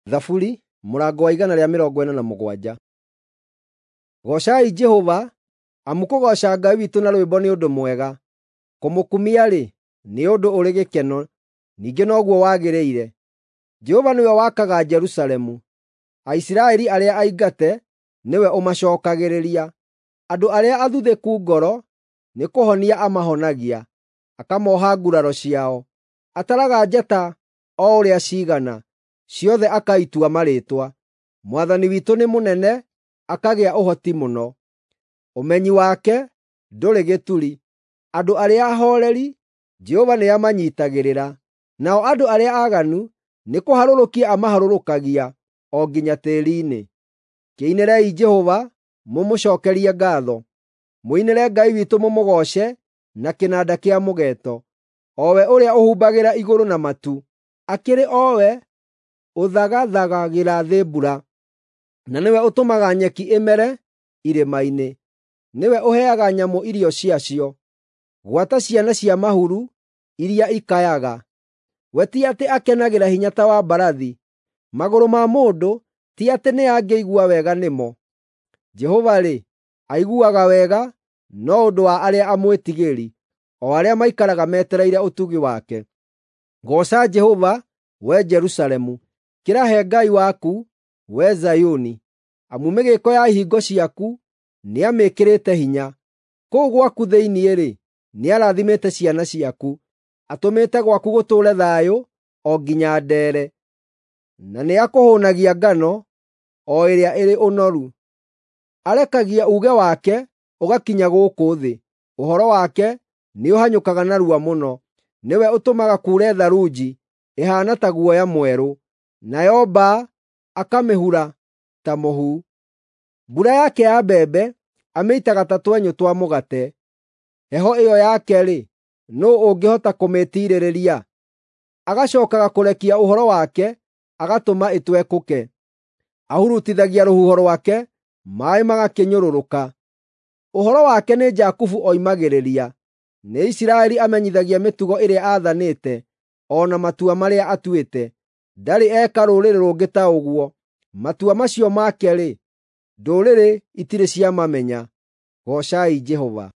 Thaburi mũrango wa 147. Goocai Jehova, amu kũgooca Ngai witũ na rwĩmbo nĩ ũndũ mwega, kũmũkumia-rĩ, nĩ ũndũ ũrĩ gĩkeno, ningĩ noguo wagĩrĩire. Jehova nĩwe wakaga Jerusalemu, Aisiraeli arĩa aingate nĩwe ũmacookagĩrĩria. Andũ arĩa athuthĩku ngoro nĩkũhonia amahonagia, akamooha nguraro ciao. Ataraga njata o ũrĩa ciigana, ciothe akaitua marĩĩtwa. Mwathani witũ nĩ mũnene, akagĩa ũhoti mũno. Ũmenyi wake ndũrĩ gĩturi. Andũ arĩa ahooreri Jehova nĩamanyiitagĩrĩra, nao andũ arĩa aaganu nĩkũharũrũkia amaharũrũkagia o nginya tĩĩri-inĩ. Kĩinĩrei Jehova mũmũcookerie ngaatho, mũinĩre Ngai witũ mũmũgooce na kĩnanda kĩa mũgeeto, o we ũrĩa ũhumbagĩra igũrũ na matu, akĩrĩ o we ũthagathagagĩra thĩ mbura, na nĩwe ũtũmaga nyeki ĩmere irĩma-inĩ. Nĩwe ũheaga nyamũ irio ciacio, gwata ciana cia mahuru iria ikayaga. We ti atĩ akenagĩra hinya ta wa mbarathi, magũrũ ma mũndũ ti atĩ nĩangĩigua wega nĩmo. Jehova-rĩ, aiguaga wega no ũndũ wa arĩa amwĩtigĩri, o arĩa maikaraga metereire ũtugi wake. Gooca Jehova, wee Jerusalemu. Kĩrahe Ngai waku, wee Zayuni, amu mĩgĩĩko ya ihingo ciaku nĩamĩĩkĩrĩte hinya. Kũu gwaku thĩinĩ-rĩ, nĩarathimĩte ciana ciaku, atũmĩte gwaku gũtũũre thayũ o nginya ndeere, na nĩakũhũũnagia ngano o ĩrĩa ĩrĩ ũnoru. Arekagia uuge wake ũgakinya gũkũ thĩ, ũhoro wake nĩũhanyũkaga narua mũno. Nĩwe ũtũmaga kuure tharunji ĩhaana ta guoya mwerũ, nayo mbaa akamĩhura ta mũhu. Mbura yake ya mbembe amĩitaga ta twenyũ twa mũgate. Heho ĩyo yake-rĩ, nũũ ũngĩhota kũmĩtiirĩrĩria? Agacookaga kũrekia ũhoro wake agatũma ĩtwekũke. Ahurutithagia rũhuho rwake, maaĩ magakĩnyũrũrũka. Ũhoro wake nĩ Jakubu oimagĩrĩria, nĩ Isiraeli amenyithagia mĩtugo ĩrĩa aathanĩte o na matua marĩa atuĩte. Ndarĩ eka rũrĩrĩ rũngĩ ta ũguo; matua macio make-rĩ, ndũrĩrĩ itirĩ ciamamenya. Goocai Jehova.